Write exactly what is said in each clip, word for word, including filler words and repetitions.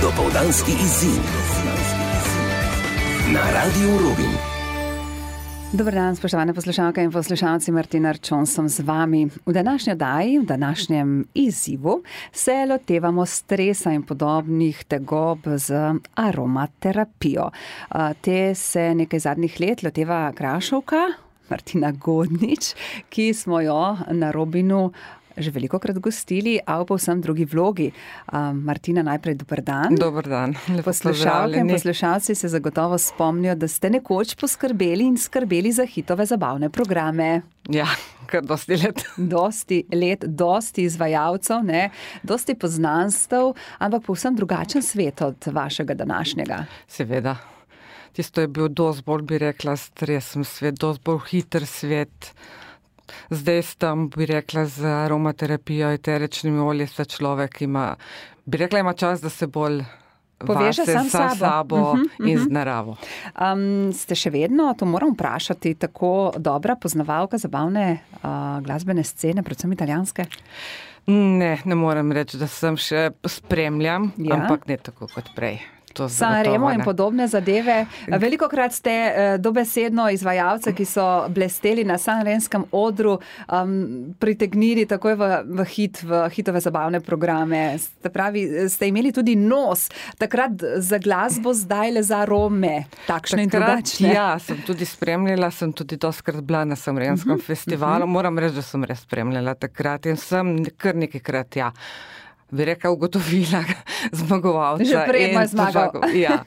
Dopoldanski izziv na Radiu Rubin. Dober dan, spoštovane poslušalke in poslušalci, Martina Arčon sem z vami. V današnji oddaji, v današnjem izzivu se lotevamo stresa in podobnih tegob z aromaterapijo. Te se nekaj zadnjih let loteva Krašovka, Martina Godnič, ki smo jo na Robinu že veliko krat gostili, a v povsem drugi vlogi. Martina, najprej dober dan. Dober dan. Poslušalke in poslušalci se zagotovo spomnijo, da ste nekoč poskrbeli in skrbeli za hitove zabavne programe. Ja, kar dosti let. Dosti let, dosti izvajalcev, ne, dosti poznanstev, ampak povsem drugačen svet od vašega današnjega. Seveda. Tisto je bil dosti bolj, bi rekla, stresen svet, dosti bolj hiter svet. Zdaj tam, bi rekla, z aromaterapijo, eteričnimi olji, sta človek ima, bi rekla, ima čas, da se bolj poveže vase, sam sa sabo, sabo uh-huh, in uh-huh. z naravo. Um, ste še vedno, to moram vprašati, tako dobra poznavalka zabavne uh, glasbene scene, predvsem italijanske? Ne, ne moram reči, da sem še spremljam, ja? Ampak ne tako kot prej. Sanremo in podobne zadeve. Veliko krat ste uh, dobesedno izvajalce, ki so blesteli na sanremskem odru, um, pritegnili takoj v, v hit, v hitove zabavne programe. Ste pravi, ste imeli tudi nos, takrat za glasbo, zdaj le za arome, takšne takrat, in drugačne. Ja, sem tudi spremljala, sem tudi doskrat bila na sanremskem uh-huh, festivalu. Uh-huh. Moram reči, da sem res spremljala takrat in sem kar nekajkrat, ja, bi rekla, ugotovila zmagovalca. Že prej je zmagal. Ja.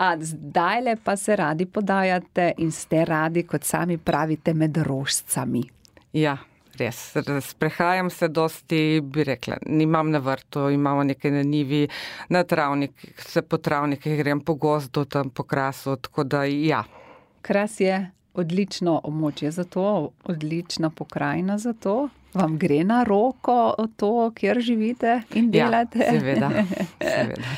A zdajle pa se radi podajate in ste radi, kot sami pravite, med rožcami. Ja, res. Sprehajam se dosti, bi rekla, nimam na vrtu, imamo nekaj na njivi, na travnik, se po travnikih grem po gozdu, tam po krasu, tako da ja. Kras je odlično območje za to, odlična pokrajina za to. Vam gre na roko to, kjer živite in delate? Ja, seveda. seveda.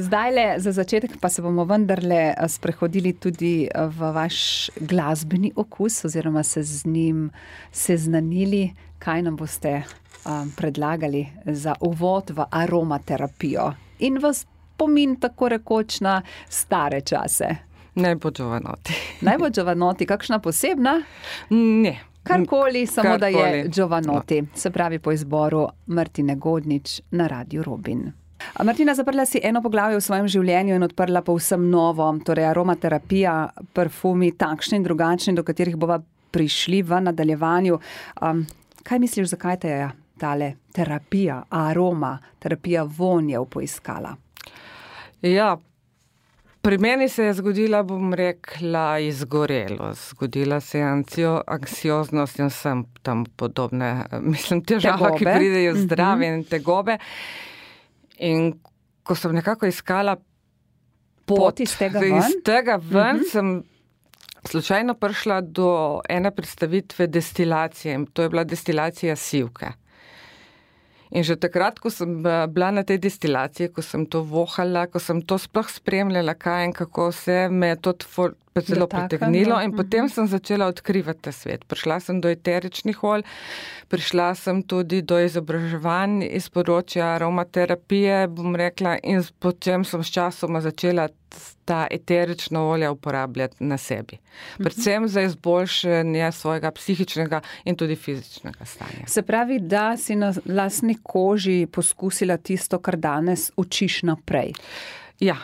Zdajle, za začetek pa se bomo vendarle sprehodili tudi v vaš glasbeni okus oziroma se z njim seznanili, kaj nam boste um, predlagali za uvod v aromaterapijo in vas spomin tako rekoč na stare čase. Naj bo Giovanotti. Naj bo Giovanotti, kakšna posebna? Ne. Karkoli, samo Karkoli. Da je Giovanotti, se pravi po izboru Martine Godnič na Radiu Rubin. Martina, zaprla si eno poglavje v svojem življenju in odprla povsem novo, torej aromaterapija, parfumi, takšni in drugačni, do katerih bova prišli v nadaljevanju. Um, kaj misliš, zakaj te je tale terapija, aroma, terapija vonjev poiskala? Ja, pri meni se je zgodila, bom rekla, izgorelost. Zgodila se je anksioznost in vsem tam podobne, mislim, težave, ki pridejo zdrave mm-hmm. in tegobe. In ko sem nekako iskala pot, pot iz tega ven, iz tega ven mm-hmm. sem slučajno prišla do ene predstavitve destilacije in to je bila destilacija sivke. In že takrat, ko sem bila na tej destilaciji, ko sem to vohala, ko sem to sploh spremljala, kaj in kako vse, me je to zelo pritegnilo in potem sem začela odkrivati ta svet. Prišla sem do eteričnih olj, prišla sem tudi do izobraževanj iz področja aromaterapije, bom rekla, in potem sem s časoma začela ta eterična olja uporabljati na sebi. Predvsem za izboljšanje svojega psihičnega in tudi fizičnega stanja. Se pravi, da si na lastni koži poskusila tisto, kar danes učiš naprej. Ja,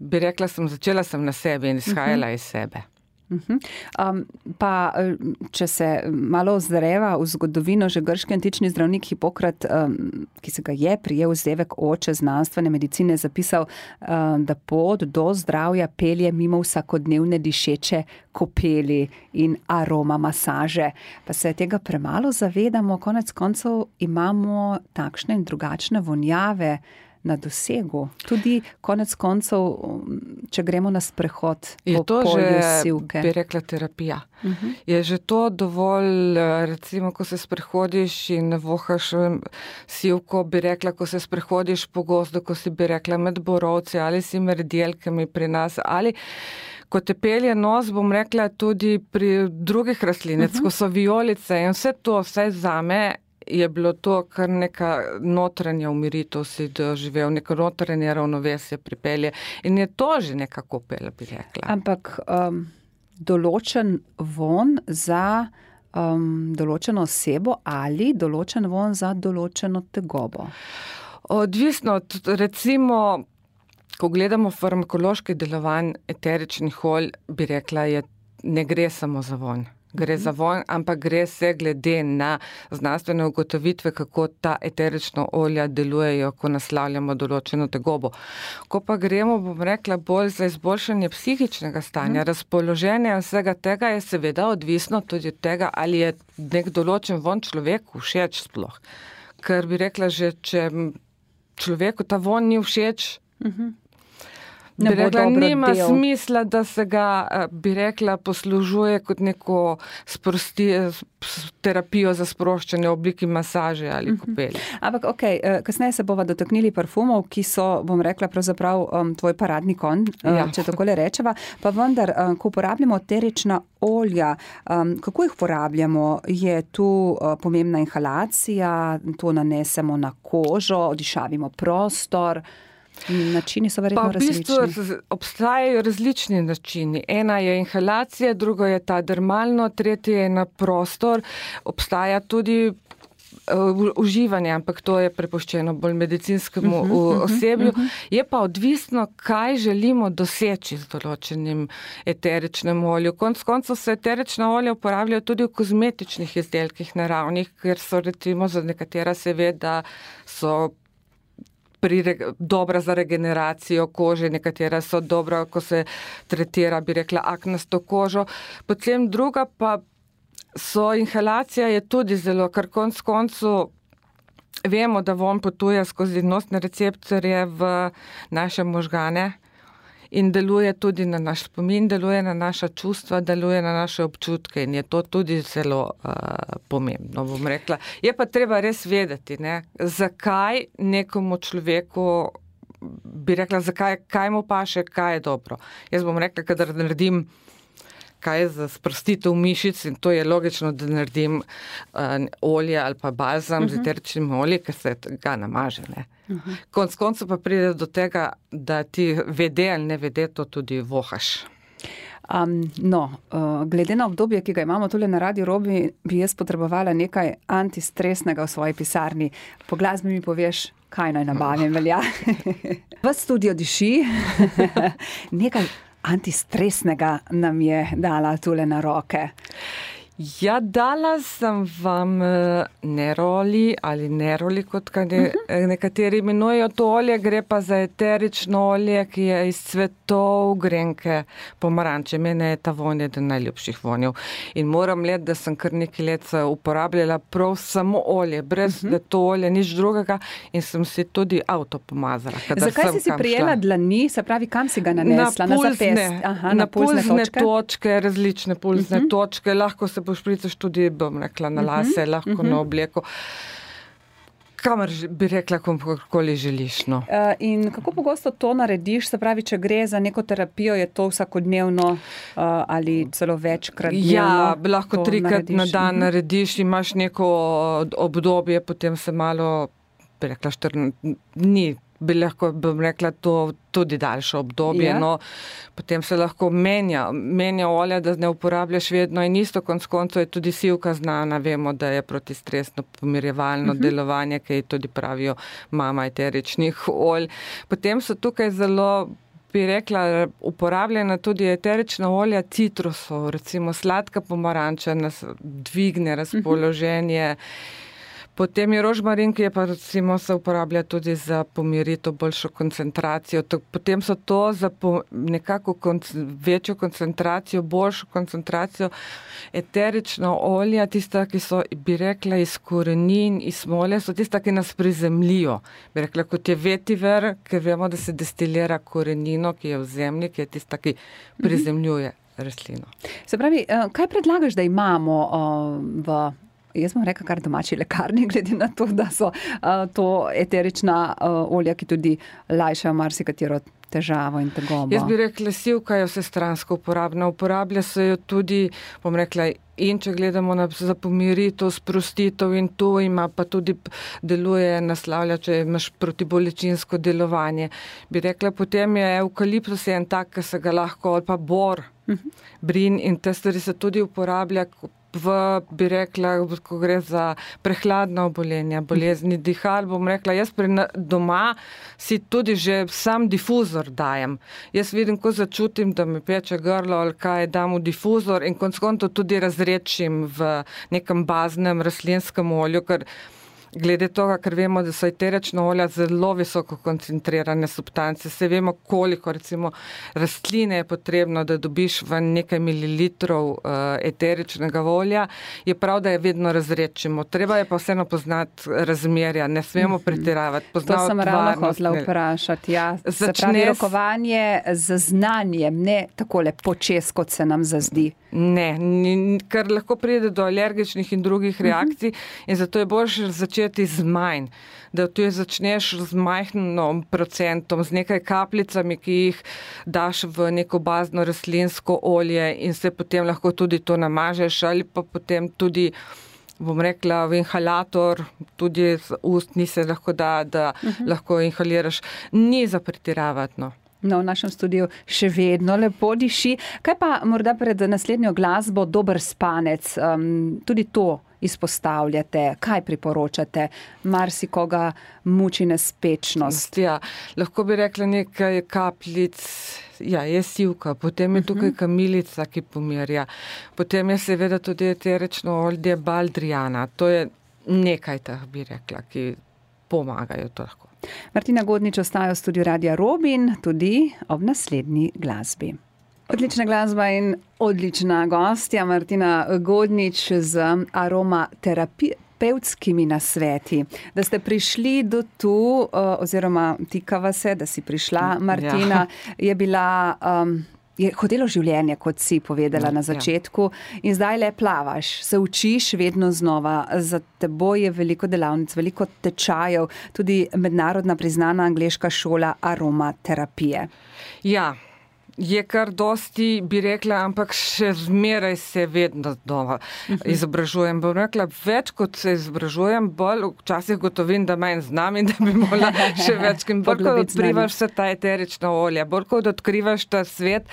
bi rekla sem, začela sem na sebi in izhajala uh-huh. iz sebe. Uh-huh. Um, pa, če se malo ozreva v zgodovino, že grški antični zdravnik Hipokrat, um, ki se ga je prijel vzdevek oče znanstvene medicine, zapisal, um, da pot do zdravja pelje mimo vsakodnevne dišeče kopeli in aroma masaže. Pa se tega premalo zavedamo, konec koncev imamo takšne in drugačne vonjave na dosegu. Tudi konec koncev, če gremo na sprehod po polju sivke. Je to že, bi rekla, terapija. Uh-huh. Je že to dovolj, recimo, ko se sprehodiš in vohaš sivko, bi rekla, ko se sprehodiš po gozdu, ko si, bi rekla, med borovci ali si med jelkami pri nas, ali ko te pelje nos, bom rekla, tudi pri drugih rastlinec, uh-huh. ko so vijolice in vse to, vse zame je bilo to kar neka notranja umiritev, si doživel, neko notranje ravnovesje pripelje in je to že neka kopela, bi rekla. Ampak um, določen von za um, določeno osebo ali določen von za določeno tegobo? Odvisno, recimo, ko gledamo farmakološki delovanj eteričnih olj, bi rekla, je, ne gre samo za vonj. Gre za vonj, ampak gre se glede na znanstvene ugotovitve, kako ta eterična olja delujejo, ko naslavljamo določeno tegobo. Ko pa gremo, bom rekla, bolj za izboljšanje psihičnega stanja, mm. razpoloženja vsega tega je seveda odvisno tudi od tega, ali je nek določen von človeku všeč sploh. Ker bi rekla, že če človeku ta von ni všeč, mm-hmm. Bi rekla, nima del. Smisla, da se ga, bi rekla, poslužuje kot neko sprosti, terapijo za sproščanje v obliki masaže ali kopelje. Uh-huh. Ampak, ok, kasneje se bova dotaknili parfumov, ki so, bom rekla, pravzaprav um, tvoj paradni konj, ja. če takole rečeva. Pa vendar, um, ko uporabljamo eterična olja, um, kako jih uporabljamo? Je tu uh, pomembna inhalacija, to nanesemo na kožo, odišavimo prostor? Načini so verjetno različni. Pa v bistvu obstajajo različni načini. Ena je inhalacija, drugo je ta dermalno, tretje je na prostor. Obstaja tudi uh, uživanje, ampak to je prepuščeno bolj medicinskemu uh-huh, uh, osebju. Uh-huh. Je pa odvisno, kaj želimo doseči z določenim eteričnem olju. Konc koncev se eterična olja uporabljajo tudi v kozmetičnih izdelkih naravnih, ker so recimo za nekatera seveda so Pri, dobra za regeneracijo kože, nekatera so dobra, ko se tretira, bi rekla, aknasto kožo. Potem druga pa so inhalacija je tudi zelo, kar konc koncu vemo, da von potuje skozi nosne receptorje v naše možgane in deluje tudi na naš spomin, deluje na naša čustva, deluje na naše občutke in je to tudi zelo uh, pomembno, bom rekla. Je pa treba res vedeti, ne, zakaj nekomu človeku, bi rekla, zakaj, kaj mu paše, kaj je dobro. Jaz bom rekla, kadar naredim kaj je za sprostitev mišic in to je logično, da naredim uh, olje ali pa balzam uh-huh. z eteričnim oljem, ker se ga namaže, ne. Uh-huh. Konc koncu pa pride do tega, da ti vede ali ne vede, to tudi vohaš. Um, no, uh, glede na obdobje, ki ga imamo tule na Radio Robi, bi jaz potrebovala nekaj antistresnega v svoji pisarni. Po glasbi mi poveš, kaj naj nabavim, velja. V studio diši. Nekaj antistresnega nam je dala tule na roke. Ja, dala sem vam neroli ali neroli, kot ne, uh-huh. nekateri imenujejo to olje, gre pa za eterično olje, ki je iz cvetov grenke pomaranče. Mene je ta vonj eden najljubših vonjev. In moram let, da sem kar nekaj let uporabljala prav samo olje, brez uh-huh. da to olje, nič drugega in sem si tudi avto pomazala. Zakaj si si prijela dlani, se pravi, kam si ga nanesla? Na pulzne, Aha, na, na pulzne, pulzne točke? točke, različne pulzne uh-huh. točke, lahko se pošpricaš tudi, bom rekla, na lase, uh-huh, lahko uh-huh. na obleko. Kamer bi rekla, kakorkoli želiš. No. Uh, in kako pogosto to narediš? Se pravi, če gre za neko terapijo, je to vsakodnevno uh, ali celo večkrat dnevno? Ja, lahko trikrat na dan uh-huh. narediš, imaš neko obdobje, potem se malo, bi rekla, štrn dni, bi lahko, bom rekla, to tudi daljše obdobje, ja. no, potem se lahko menja, menja olja, da ne uporabljaš vedno in isto, konc koncev je tudi sivka znana, vemo, da je protistresno pomirjevalno uh-huh. delovanje, ki tudi pravijo mama eteričnih olj. Potem so tukaj zelo, bi rekla, uporabljena tudi eterična olja citrusov, recimo sladka pomaranča nas dvigne razpoloženje, uh-huh. Potem je rožmarin, ki je pa recimo se uporablja tudi za pomiritev, boljšo koncentracijo. Potem so to za po, nekako konc večjo koncentracijo, boljšo koncentracijo eterična olja, tista, ki so, bi rekla, iz korenin, iz smole, so tista, ki nas prizemljijo. Bi rekla, kot je vetiver, ker vemo, da se destilira korenino, ki je v zemlji, ki je tista, ki prizemljuje rastlino. Se pravi, kaj predlagaš, da imamo v jaz bom rekla kar domači lekarni, glede na to, da so uh, to eterična uh, olja, ki tudi lajšajo marsikatero težavo in tegobo? Jaz bi rekla, sivka je vsestransko uporabna. Uporablja se jo tudi, bom rekla, in če gledamo na za pomiritev, sprostitev in to ima pa tudi deluje, naslavlja, če imaš protibolečinsko delovanje. Bi rekla, potem je evkaliptus en tak, ki se ga lahko, ali pa bor, uh-huh. brin in te stvari se tudi uporablja v, bi rekla, ko gre za prehladna obolenja, bolezni dihal, bom rekla, jaz pri doma si tudi že sam difuzor dajem. Jaz vidim, ko začutim, da me peče grlo ali kaj, dam v difuzor in konec koncev tudi razredčim v nekem baznem rastlinskem olju, ker glede toga, ker vemo, da so eterična olja zelo visoko koncentrirane substance. Se vemo, koliko recimo rastline je potrebno, da dobiš v nekaj mililitrov uh, eteričnega olja. Je prav, da je vedno razredčimo. Treba je pa vseeno poznati razmerja. Ne smemo pretiravati. To sem ravno hotela vprašati. Ja. Se pravi, rokovanje z znanjem, ne takole počes, kot se nam zazdi. Ne, ker lahko pride do alergičnih in drugih reakcij uh-huh. in zato je boljše začeti z manj, da tu začneš z majhnim procentom, z nekaj kapljicami, ki jih daš v neko bazno rastlinsko olje in se potem lahko tudi to namažeš ali pa potem tudi, bom rekla, v inhalator, tudi z ustni se lahko da, da uh-huh. lahko inhaliraš. Ni za pretiravati, no. No, v našem studiu še vedno lepo diši. Kaj pa morda pred naslednjo glasbo dober spanec? Um, tudi to izpostavljate. Kaj priporočate? Marsikoga muči nespečnost. Ja, lahko bi rekla nekaj kapljic. Ja, je sivka, potem je tukaj kamilica, ki pomirja. Potem je seveda tudi eterično olje baldrijana. To je nekaj teh, bi rekla, ki pomagajo to lahko. Martina Godnič ostaja v studiu Radia Robin, tudi ob naslednji glasbi. Odlična glasba in odlična gostja Martina Godnič z aromaterapevtskimi nasveti. Da ste prišli do tu, oziroma tikava se, da si prišla, Martina, ja. je bila... Um, Je hotelo življenje, kot si povedala na začetku, in zdaj le plavaš, se učiš vedno znova. Za teboj je veliko delavnic, veliko tečajev, tudi mednarodna priznana angleška šola aromaterapije. Ja, je kar dosti, bi rekla, ampak še zmeraj se vedno znova izobražujem. Bom rekla, več kot se izobražujem, bolj včasih gotovim, da manj znam in da bi morala še več. Bolj kot odkrivaš vse ta eterična olja, bolj kot odkrivaš ta svet,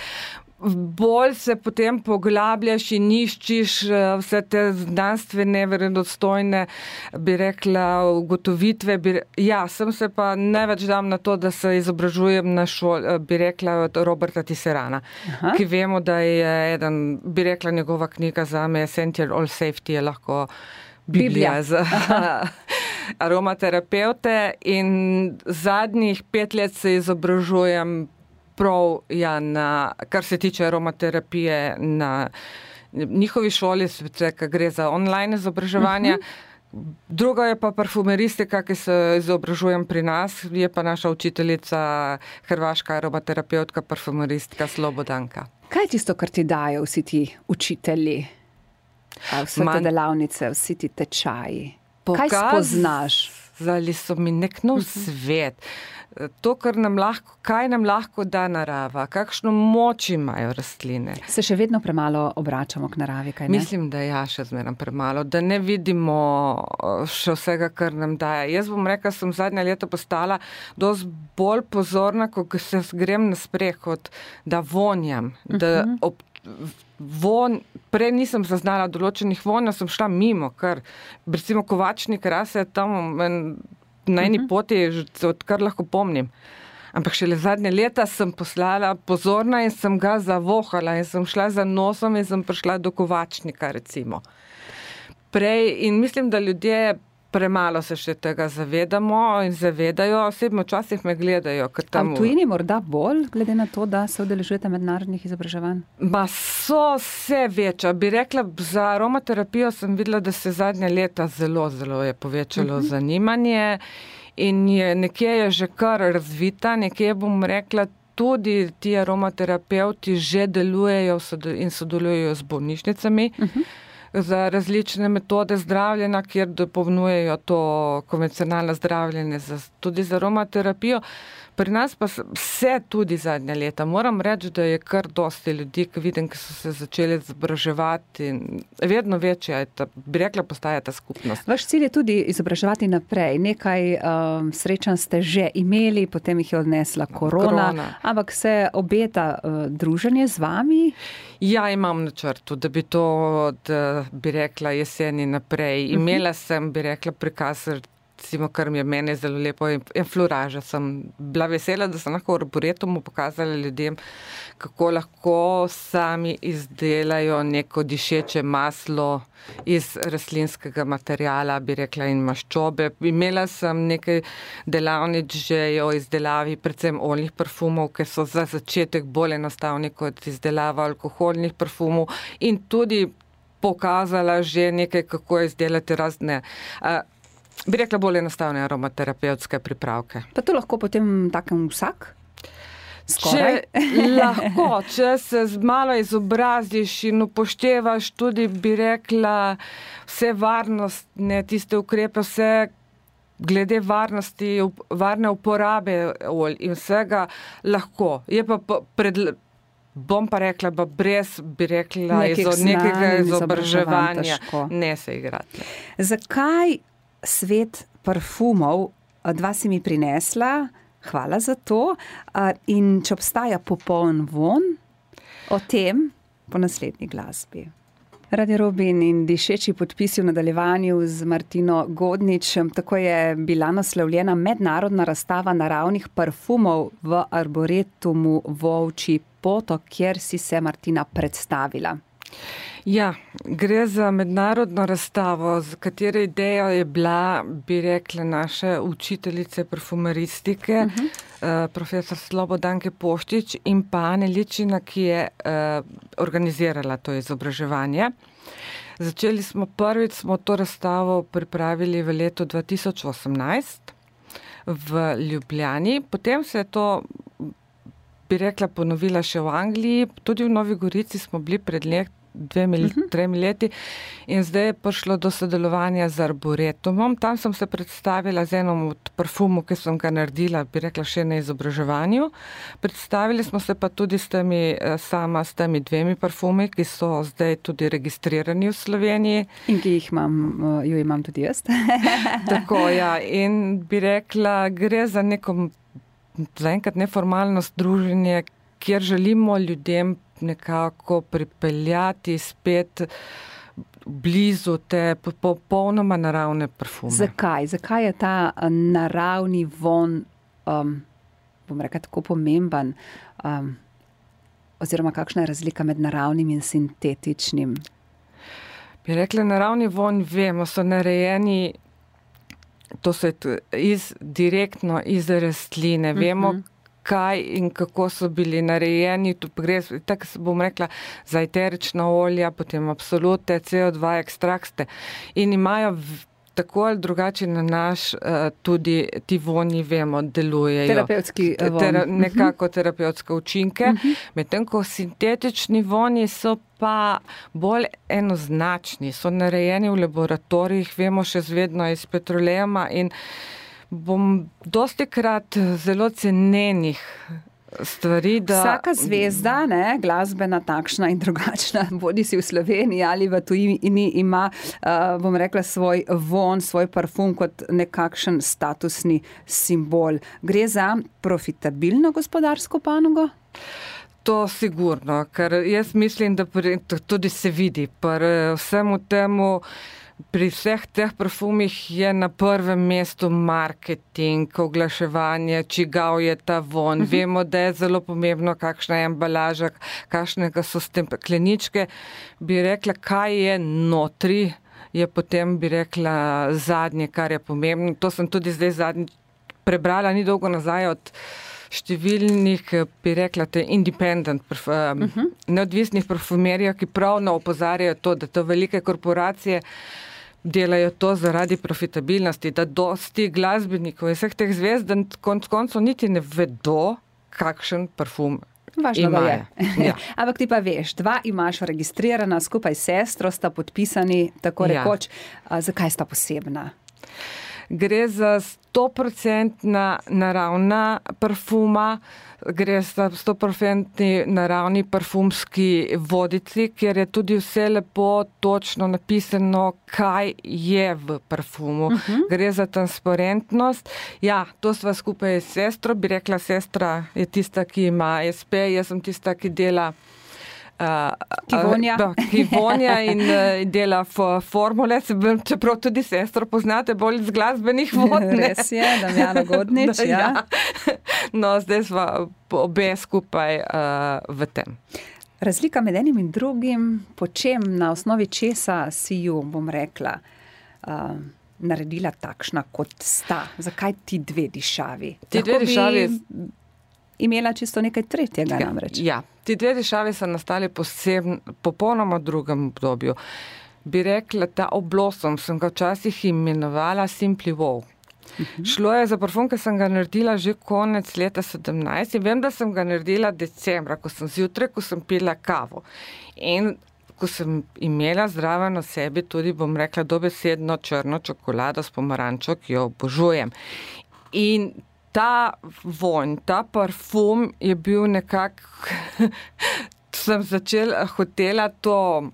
bolj se potem poglabljaš in iščiš vse te znanstvene, verodostojne, bi rekla, ugotovitve. Bi, ja, sem se pa največ dam na to, da se izobražujem na šoli, bi rekla, od Roberta Tisserana, Aha. ki vemo, da je eden, bi rekla, njegova knjiga za me, Essential All Safety, je lahko Biblija, Biblija. za aromaterapeute in zadnjih pet let se izobražujem prav, ja, na, kar se tiče aromaterapije na njihovi šoli, ker gre za online izobraževanje. Uh-huh. Druga je pa parfumeristika, ki se izobražujem pri nas, je pa naša učiteljica, hrvaška aromaterapeutka, parfumeristka Slobodanka. Kaj je tisto, kar ti dajo vsi ti učitelji? Vse Man... te delavnice, vsi ti tečaji? Kaj spoznaš? Pokazali so mi nek nov uh-huh. svet. To, kar nam lahko, kaj nam lahko da narava, kakšno moč imajo rastline. Se še vedno premalo obračamo k naravi, kaj ne? Mislim, da ja, še zmeraj premalo, da ne vidimo še vsega, kar nam daje. Jaz bom rekla, sem zadnja leta postala dosti bolj pozorna, ko se grem na sprehod, da vonjam, da ob von, prej nisem zaznala določenih vonja, sem šla mimo, ker recimo Kovačnik rase tam na eni poti, odkar lahko pomnim. Ampak šele zadnje leta sem poslala pozorna in sem ga zavohala in sem šla za nosom in sem prišla do Kovačnika, recimo. Prej, in mislim, da ljudje premalo se še tega zavedamo in zavedajo, osebno včasih me gledajo. Tam v tujini morda bolj, glede na to, da se udeležujete mednarodnih izobraževanj? Ma so vse večja. Bi rekla, za aromaterapijo sem videla, da se zadnja leta zelo, zelo je povečalo uh-huh. zanimanje in je, nekje je že kar razvita, nekje bom rekla, tudi ti aromaterapeuti že delujejo in sodelujejo z bolnišnicami. Uh-huh. za različne metode zdravljenja, kjer dopolnjujejo to konvencionalno zdravljenje za, tudi za aromaterapijo. Pri nas pa vse tudi zadnja leta. Moram reči, da je kar dosti ljudi, ki vidim, ki so se začeli izobraževati. Vedno večja je ta, bi rekla, postaja ta skupnost. Vaš cilj je tudi izobraževati naprej. Nekaj um, srečanj ste že imeli, potem jih je odnesla korona, korona. Ampak se obeta uh, druženje z vami? Ja, imam načrtu, da bi to, da bi rekla, jeseni naprej. Imela sem, bi rekla, prikaz, recimo, kar mi je mene zelo lepo, in fluraža. Sem bila vesela, da sem lahko v arboretumu pokazala ljudem, kako lahko sami izdelajo neko dišeče maslo iz rastlinskega materijala, bi rekla, in maščobe. Imela sem nekaj delavnic že o izdelavi, predvsem oljnih parfumov, ki so za začetek bolj enostavni kot izdelava alkoholnih parfumov, in tudi pokazala že nekaj, kako izdelati razne uh, bi rekla, bolj enostavne aromaterapevtske pripravke. Pa to lahko potem takem vsak? Skoraj? Če lahko, če se malo izobraziš in upoštevaš tudi, bi rekla, vse varnostne, tiste ukrepe, vse glede varnosti, varne uporabe olj in vsega, lahko. Je pa pred, bom pa rekla, pa brez, bi rekla, izo, nekega izobraževanja ne se igrati. Zakaj svet parfumov? Dva si mi prinesla, hvala za to. In če obstaja popoln von, o tem po naslednji glasbi. Radio Robin in dišeči podpisi v nadaljevanju z Martino Godnič. Tako je bila naslovljena mednarodna razstava naravnih parfumov v Arboretumu Volčji potok, kjer si se, Martina, predstavila. Ja, gre za mednarodno razstavo, z katere ideja je bila, bi rekla, naše učiteljice parfumeristike, uh-huh. uh, profesor Slobodanke Poštič in pa Ane Ličina, ki je uh, organizirala to izobraževanje. Začeli smo prvič, smo to razstavo pripravili v letu dva tisoč osemnajst v Ljubljani, potem se je to, bi rekla, ponovila še v Angliji, tudi v Novi Gorici smo bili pred let, dvemi, uh-huh. tremi leti, in zdaj je prišlo do sodelovanja z Arboretumom. Tam sem se predstavila z enom od parfumov, ki sem ga naredila, bi rekla, še na izobraževanju. Predstavili smo se pa tudi s temi, sama s temi dvemi parfumi, ki so zdaj tudi registrirani v Sloveniji. In ki jih imam, jo imam tudi jaz. Tako, ja, in bi rekla, gre za neko zaenkrat neformalno združenje, kjer želimo ljudem nekako pripeljati spet blizu te popolnoma naravne parfume. Zakaj? Zakaj je ta naravni von, um, bom rekla, tako pomemben? Um, oziroma, kakšna je razlika med naravnim in sintetičnim? Bi rekla, naravni von, vemo, so narejeni, to so iz, direktno iz rastline. Vemo, uh-huh. kaj in kako so bili narejeni, tu gre, tako bom rekla, za eterična olja, potem absolute, C O dva ekstrakte, in imajo v, tako ali drugače na naš uh, tudi ti vonji, vemo, delujejo. Terapevtski von. Tera, nekako uh-huh. terapevtske učinke, uh-huh. medtem ko sintetični vonji so pa bolj enoznačni, so narejeni v laboratorijih, vemo še zvedno iz petrolejuma, in bom dosti krat zelo cenenih stvari, da... Vsaka zvezda, ne, glasbena, takšna in drugačna, bodi si v Sloveniji ali v tujini, ima, uh, bom rekla, svoj von, svoj parfum kot nekakšen statusni simbol. Gre za profitabilno gospodarsko panogo? To sigurno, ker jaz mislim, da pri, tudi se vidi, pri vsemu temu, pri vseh teh parfumih je na prvem mestu marketing, oglaševanje, čigav je ta von. Uh-huh. Vemo, da je zelo pomembno, kakšna je embalaža, kakšnega so stekleničke. Bi rekla, kaj je notri, je potem, bi rekla, zadnje, kar je pomembno. To sem tudi zdaj zadnji prebrala, ni dolgo nazaj od številnih, bi rekla, te independent, um, uh-huh. neodvisnih parfumerijev, ki pravno opozarjajo to, da to velike korporacije delajo to zaradi profitabilnosti, da dosti glasbenikov in vseh teh zvezd, da konc koncev niti ne vedo, kakšen parfum Važno, da je. Ja. Ampak ti pa veš, dva imaš registrirana, skupaj s sestro sta podpisani, tako rekoč. Ja. Zakaj sta posebna? Gre za stoprocentna naravna parfuma, gre za stoprocentni naravni parfumski vodici, kjer je tudi vse lepo točno napisano, kaj je v parfumu. Uh-huh. Gre za transparentnost. Ja, to sva skupaj s sestro, bi rekla, sestra je tista, ki ima es pe, jaz sem tista, ki dela Uh, ki vonja. Uh, ki vonja in uh, dela f- formule, čeprav tudi sestro poznate bolj iz glasbenih vod. Res je, Damjana Godnič. no, ja. ja. No, zdaj sva obe skupaj uh, v tem. Razlika med enim in drugim, po čem, na osnovi česa si ju, bom rekla, uh, naredila takšna, kot sta? Zakaj ti dve dišavi? Ti dve dišavi imela čisto nekaj tretjega ja, namreč. Ja, ti dve dišavi so nastali posebno, popolnoma drugem obdobju. Bi rekla, ta oblosom sem ga včasih imenovala Simply Wow. Uh-huh. Šlo je za parfum, ki sem ga naredila že konec leta sedemnajst in vem, da sem ga naredila decembra, ko sem zjutraj, ko sem pila kavo. In ko sem imela zraven o sebi tudi, bom rekla, dobesedno črno čokolado s pomarančo, ki jo obožujem. In ta vonj, ta parfum je bil nekako, sem začela, hotela to,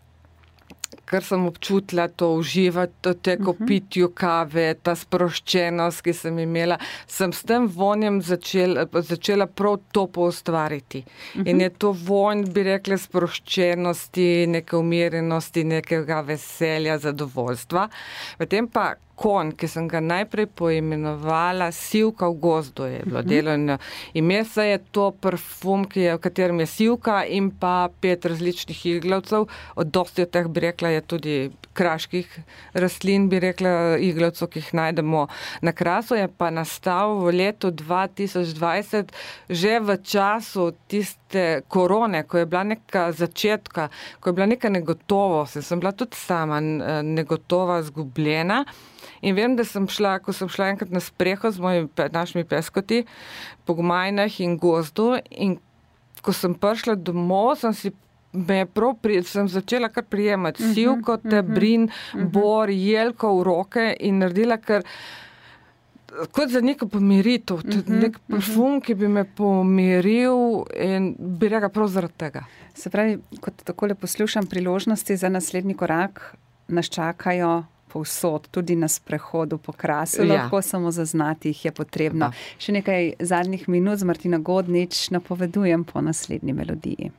kar sem občutila, to uživati, to teko uh-huh. pitju kave, ta sproščenost, ki sem imela, sem s tem vonjem začela, začela prav to poustvariti. Uh-huh. In je to vonj, bi rekla, sproščenosti, neke umirjenosti, nekega veselja, zadovoljstva. Potem pa konj, ki sem ga najprej poimenovala Sivka v gozdu, je bilo uh-huh. delovno ime, se je to parfum, ki je, v katerem je sivka in pa pet različnih iglavcev. Od dosti od teh, bi rekla, je tudi kraških rastlin, bi rekla, iglavcev, ki jih najdemo na Krasu, je pa nastal v letu dva tisoč dvajset, že v času tiste korone, ko je bila neka začetka, ko je bila neka negotovost, sem bila tudi sama negotova, zgubljena. In vem, da sem šla, ko sem šla enkrat na spreho z mojimi našimi peskoti po gmajnah in gozdu in ko sem prišla domov, sem si me prav pri, sem začela kar prijemati uh-huh, sivko, tebrin, uh-huh. bor, jelko v roke in naredila kar kot za neko pomiritev, uh-huh, nek parfum, uh-huh. ki bi me pomiril in bi rekla prav zaradi tega. Se pravi, kot takole poslušam priložnosti za naslednji korak, nas čakajo povsod, tudi na sprehodu po Krasu, ja. Lahko samo zaznati jih je potrebno. Pa. Še nekaj zadnjih minut z Martina Godnič napovedujem po naslednji melodiji.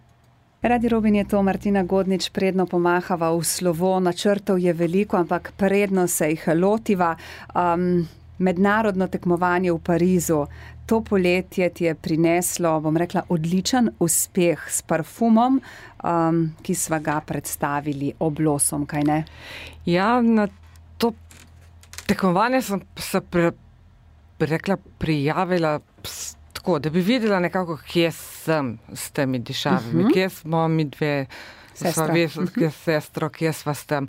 Radio Robin je to, Martina Godnič, predno pomahava v slovo, načrtov je veliko, ampak predno se jih lotiva. Um, mednarodno tekmovanje v Parizu, to poletje ti je prineslo, bom rekla, odličen uspeh s parfumom, um, ki sva ga predstavili Oblosom, kaj ne? Ja, na to tekmovanje sem se pre, rekla, prijavila tako, da bi videla nekako, kje sem s temi dišavami, uh-huh. kje smo mi dve, sva ves, kje sestro, kje sva s tem.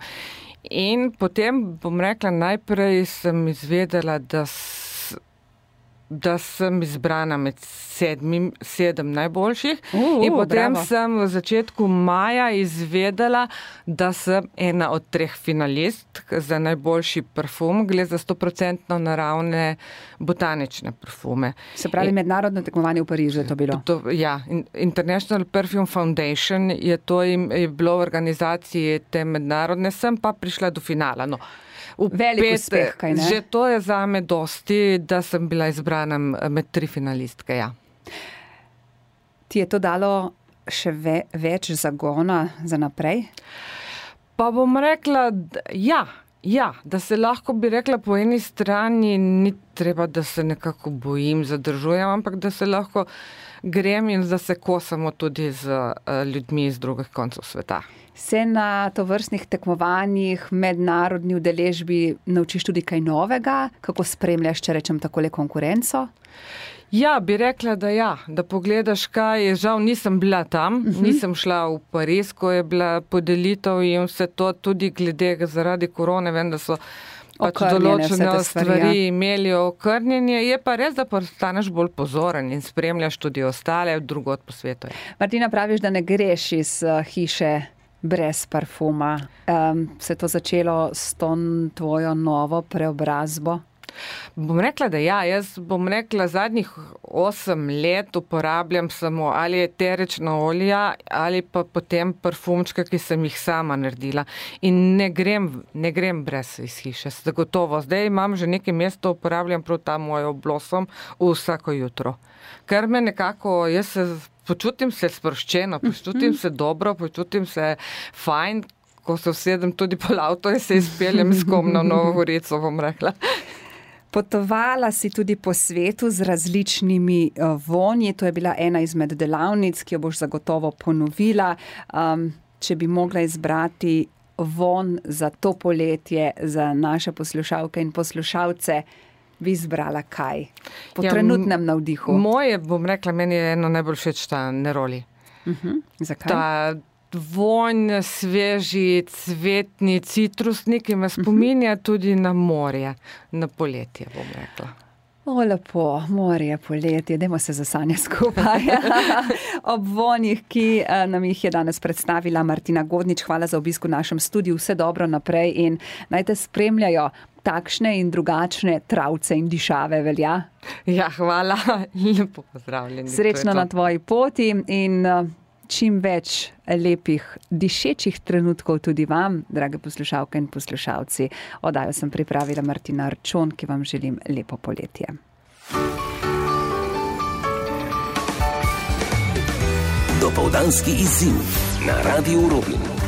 In potem, bom rekla, najprej sem izvedela, da, s, da sem izbrana med sedmim, sedem najboljših. Uh, in potem bravo. Sem v začetku maja izvedela, da sem ena od treh finalist za najboljši parfum. Gre za stoprocentno naravne botanične parfume. Se pravi, in, mednarodno tekmovanje v Parizu je to bilo? To, ja, International Perfume Foundation je to im, je bilo v organizaciji te mednarodne, sem pa prišla do finala. No. Velik pet, uspeh, kaj ne? Že to je zame dosti, da sem bila izbrana med tri finalistke, ja. Ti je to dalo še ve, več zagona za naprej? Pa bom rekla, da, ja, ja, da se lahko, bi rekla, po eni strani ni treba, da se nekako bojim, zadržujem, ampak da se lahko grem in da se kosamo tudi z uh, ljudmi iz drugih koncev sveta. Se na tovrstnih tekmovanjih, mednarodni udeležbi naučiš tudi kaj novega? Kako spremljaš, če rečem takole, konkurenco? Ja, bi rekla, da ja, da pogledaš kaj, žal nisem bila tam, uh-huh. nisem šla v Pariz, ko je bila podelitev in vse to tudi glede zaradi korone, vem, da so pač določene stvari imeli okrnjenje. Je pa res, da postaneš bolj pozoren in spremljaš tudi ostale drugod po svetu. Martina, praviš, da ne greš iz hiše brez parfuma. Um, se je to začelo s to tvojo novo preobrazbo? Bom rekla, da ja, jaz bom rekla, zadnjih osem let uporabljam samo ali eterična olja ali pa potem parfumčka, ki sem jih sama naredila. In ne grem, ne grem brez iz hiše, zagotovo. Zdaj imam že nekaj mesto, uporabljam prav ta moj Blossom vsako jutro. Ker me nekako, jaz se počutim se sproščeno, počutim se dobro, počutim se fajn, ko se usedem tudi pol avto in se izpeljem s kom na Novo Gorico, bom rekla. Potovala si tudi po svetu z različnimi vonji. To je bila ena izmed delavnic, ki jo boš zagotovo ponovila. Um, če bi mogla izbrati von za to poletje, za naše poslušalke in poslušalce, bi izbrala kaj? Po ja, trenutnem navdihu. Moje, bom rekla, meni je eno najbolj všeč ta Neroli. Uh-huh. Zakaj? Ta vonj, sveži, cvetni, citrusni, ki me spominja tudi na morje, na poletje, bom rekla. O, lepo, morje, poletje, dajmo se zasanja skupaj. Ob vonjih, ki nam jih je danes predstavila Martina Godnič, hvala za obisk v našem studiu, vse dobro naprej in naj te spremljajo takšne in drugačne travce in dišave, velja? Ja, hvala, lepo pozdravljeni. Srečno na tvoji poti in čim več lepih dišečih trenutkov tudi vam, drage poslušalke in poslušalci. Oddajo sem pripravila Martina Arčon, ki vam želim lepo poletje. Dopoldanski izziv na Radiu Rubin.